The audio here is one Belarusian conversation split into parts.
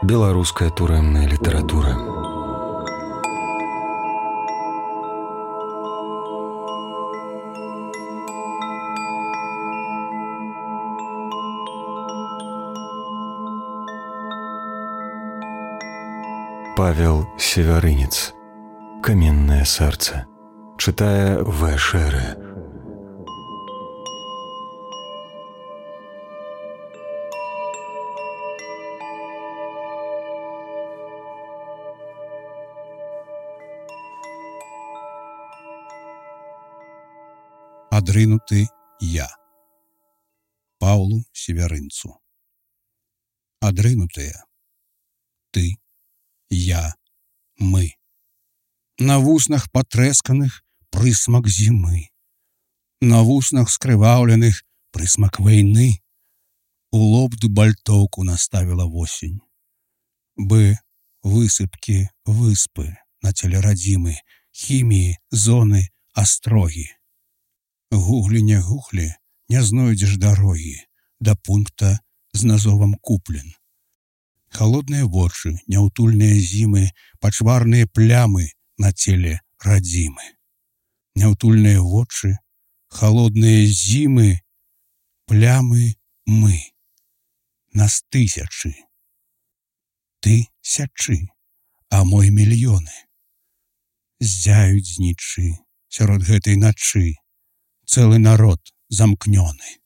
Беларуская турэмная літаратура. Павел Севярынец. Каменное сердце. Читая В. Шере. Адрынуты я. Паўлу Севярынцу. Адрынутыя. Ты, я, мы. На вуснах патрэсканых прысмак зімы. На вуснах скрываўленых прысмак вайны. У лоб дубальтоўку наставіла восень. Бы высыпкі выспы на целе радзімы, хіміі, зоны, астрогі. Гуглі не гуглі, не знойдзеш дарогі да пункта з назовам куплен. Холодныя вочы, няўтульныя зімы, пачварныя плямы на целе радзімы. Няўтульныя вочы, холодныя зімы, плямы мы. Нас тысячы. Ты сячы, а мой мільёны. Ззяюць знічы сярод гэтай начы. Цэлы народ замкнёны.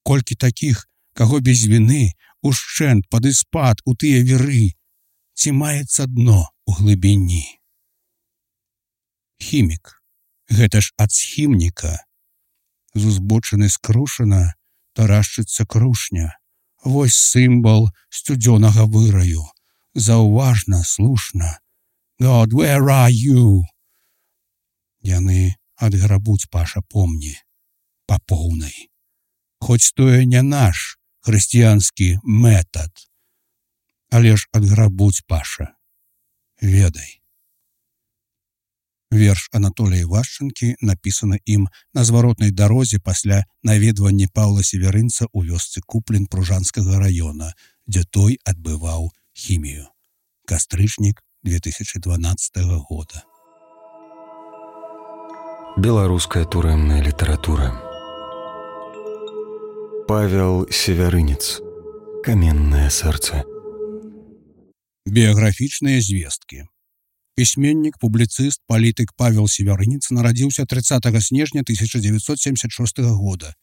Колькі такіх, каго без віны, ушчэнт пад іспад у тыя віры, ці маецца дно у глыбіні. Хімік, гэта ж ад схімніка. З узбочыны скрушана тарашчыцца крушня. Вось сімвал сцюдзёнага выраю. Заўважна, слушна. God, where are you? Яны адграбуць, Паша, помні, па поўнай. Хоць тое не наш хрысціянскі метад, але ж адграбуць, Паша, ведай. Верш Анатолія Івашчанкі напісаны ім на зваротнай дарозе пасля наведвання Паўла Севярынца ў вёсцы Куплен Пружанскага раёна, дзе той адбываў хімію. Кастрычнік 2012 года. Беларуская турэмная літаратура. Павел Севярынец. Каменное сердце. Біяграфічныя звесткі. Пісьменнік, публіцыст, палітык Павел Севярынец нарадзіўся 30 снежня 1976 года.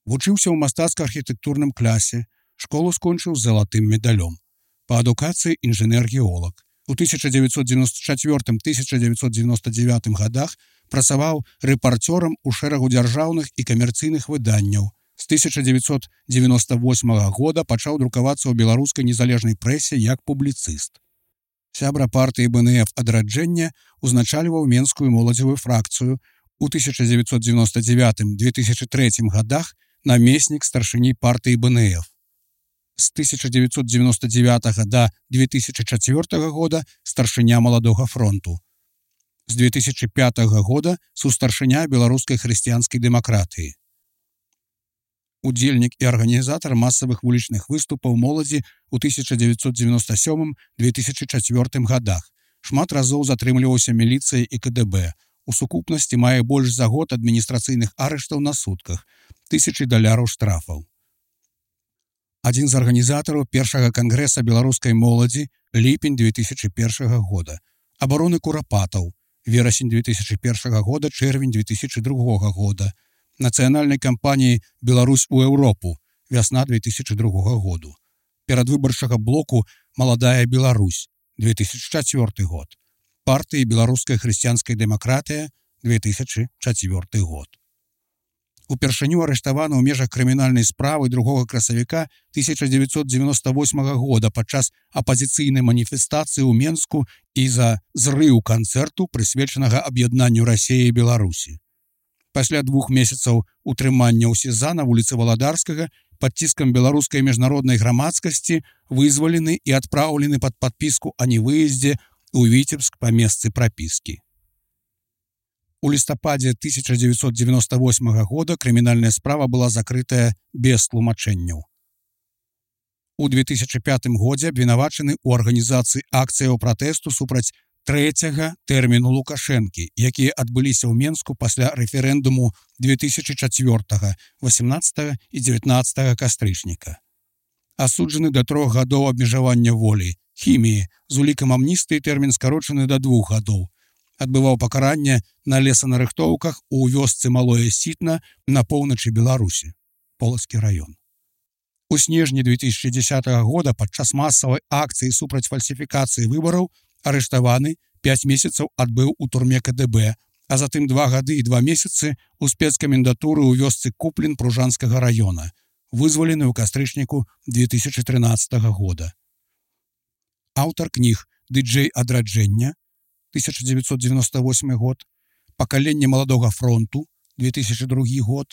Вучыўся ў мастацка-архітэктурным класе, школу скончыў з залатым медалём. Па адукацыі інжынер-геолог. У 1994-1999 годах працаваў рэпарцёрам у шэрагу дзяржаўных і камерцыйных выданняў. З 1998 года пачаў друкавацца ў беларускай незалежнай прэсе як публіцыст. Сябра партыі БНФ адраджэння узначальваў менскую моладзевую фракцыю. У 1999-2003 годах намеснік старшыні партыі БНФ. З 1999 до 2004 года старшыня Маладога фронту. З 2005 года сустаршыня беларускай хрысціянскай дэмакратыі. Удзельнік і арганізатар масавых вулічных выступаў моладзі ў 1997-2004 годах. Шмат разоў затрымліваўся міліцыяй і КДБ. У сукупнасці мае больш за год адміністрацыйных арыштаў на сутках, $1000 штрафаў. Адзін з арганізатараў першага кангрэса беларускай моладзі, ліпень 2001 года. Абароны курапатаў, верасень 2001 года, чэрвень 2002 года. Нацыянальнай кампаніі «Беларусь у Еўропу», вясна 2002 году. Перадвыбарчага блоку «Маладая Беларусь», 2004 год. Партыі «Беларуская хрысціянская дэмакратыя», 2004 год. Упершыню арыштаваны ў межах крымінальнай справы 2 красавіка 1998 года падчас апазіцыйнай маніфестацыі ў Менску і за зрыў канцэрту, прысвечанага аб'яднанню Расіі і Беларусі. Пасля 2 месяцаў утрымання ў СІЗА на вуліцы Валадарскага пад ціскам беларускай міжнароднай грамадскасці вызвалены і адпраўлены пад падпіску о невыездзе ў Віцебск па месцы прапіскі. У лістападзе 1998 года крымінальная справа была закрытая без тлумачэнняў. У 2005 годзе абвінавачаны ў арганізацыі акцыяў пратэсту супраць трэцяга тэрміну Лукашэнкі, якія адбыліся ў Менску пасля рэферэндуму 2004, 18 і 19 кастрычніка. Асуджаны да 3 гадоў абмежавання волі, хіміі, з улікам амністыі тэрмін скарочаны да 2 гадоў. Адбываў пакаранне на лесанарыхтоўках у вёсцы Малое Сітна на поўначы Беларусі, Полацкі раён. У снежні 2010 года падчас масавай акцыі супраць фальсіфікацыі выбараў арыштаваны 5 месяцаў адбыў у турме КДБ, а затым 2 гады і 2 месяцы ў спецкамендатуры ў вёсцы Куплін Пружанскага раёна, вызвалены ў кастрычніку 2013 года. Аўтар кніг «Дыджэй адраджэння» 1998 год, «Пакаленне маладога фронту» 2002 год,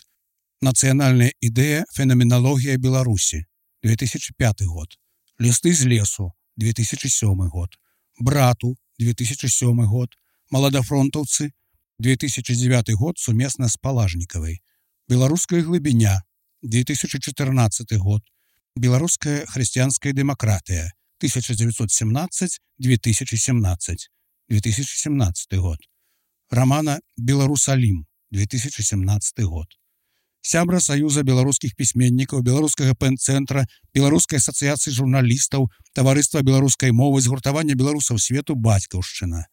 «Нацыянальная ідэя фенаменалогія Беларусі» 2005 год, «Лісты з лесу» 2007 год, «Брату» 2007 год, «Маладафронтаўцы» 2009 год сумесна з Палажнікавай, «Беларуская глыбіня» 2014 год, «Беларуская хрысціянская дэмакратыя» 1917-2017, 2017 год, романа «Беларусалім» 2017 год. Сябра Саюза беларускіх пісьменнікаў, Беларускага пэн-цэнтра, Беларускай асацыяцыі журналістаў, Таварыства беларускай мовы, згуртавання беларусаў свету «Бацькаўшчына».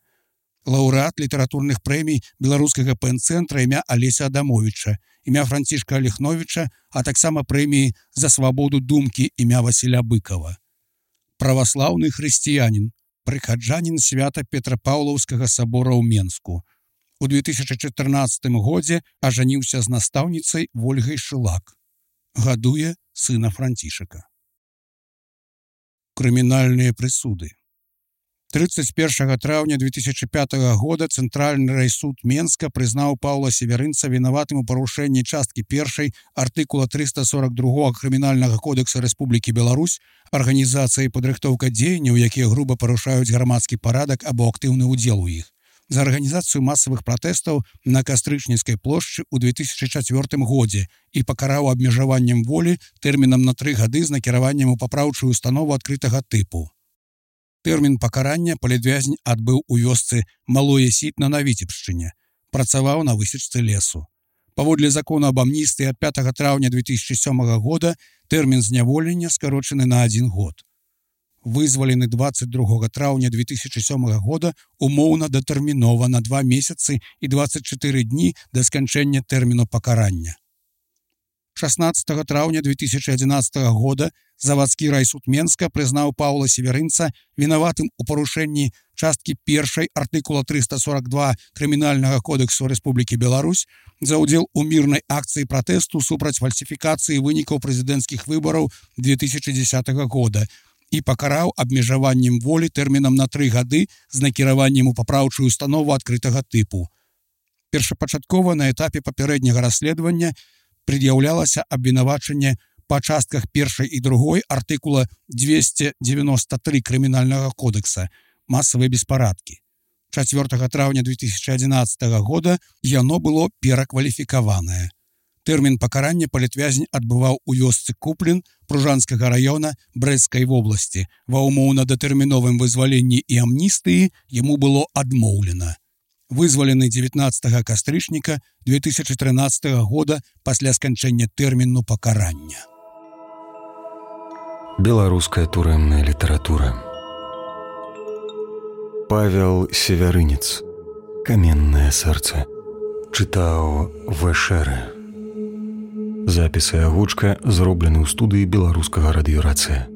Лаўрэат літаратурных прэмій Беларускага пэн-цэнтра імя Алеся Адамовіча, імя Францішка Алехновіча, а таксама прэміі «За свабоду думкі» імя Васіля Быкова. Праваслаўны хрысціянін, прыхаджанін свята Петрапаўлаўскага сабора ў Менску. У 2014 годзе ажаніўся з настаўніцай Вольгай Шылак. Гадуе сына Францішака. Крымінальныя прысуды. 31 траўня 2005 года Цэнтральны райсуд Менска прызнаў Паўла Северынца вінаватым у парушэнні часткі 1 артыкула 342 Крымінальнага кодекса Рэспублікі Беларусь арганізацыяй падрыхтоўка дзеянняў, якія груба парушаюць грамадскі парадак або актыўны ўдзел у іх, за арганізацыю масавых пратэстаў на Кастрычніцкай плошчы ў 2004 годзе і пакараў абмежаваннем волі тэрмінам на 3 гады з накіраваннем у папраўчую установу адкрытага тыпу. Тэрмін пакарання палітвязень адбыў у вёсцы Малое Сітна на Віцебшчыне, працаваў на высечцы лесу. Паводле закону аб амністыі ад 5 траўня 2007 года тэрмін зняволення скарочаны на 1 год. Вызвалены 22 траўня 2007 года умоўна датэрмінова на 2 месяцы і 24 дні да сканчэння тэрміну пакарання. 16 траўня 2011 года завадскі райсуд Менска прызнаў Паўла Северынца вінаватым у парушэнні часткі 1 артыкула 342 Крымінальнага кодексу Рэспублікі Беларусь за ўдзел у мірнай акцыі пратэсту супраць фальсіфікацыі вынікаў прэзідэнцкіх выбараў 2010 года і пакараў абмежаваннем волі тэрмінам на 3 гады з накіраваннем у папраўчую установу адкрытага тыпу. Першапачаткова на этапе папярэдняга расследавання пред'яўлялася абвінавачанне па частках 1 і 2 артыкула 293 Крымінальнага кодекса «Масавыя беспарадкі». 4 траўня 2011 года яно было перакваліфікаванае. Тэрмін пакарання палітвязень адбываў у вёсцы Куплін Пружанскага раёна Брэсцкай вобласці. Ва ўмоўна-датэрміновым вызваленні і амністыі яму было адмоўлена. Вызвалены 19 кастрычніка 2013 года пасля сканчэння тэрміну пакарання. Беларуская турэмная літаратура. Павел Северынец. Каменнае сэрца. Чытаў Вэшэрэ. Запісы агучка зроблены ў студыі беларускага радыёрацыя.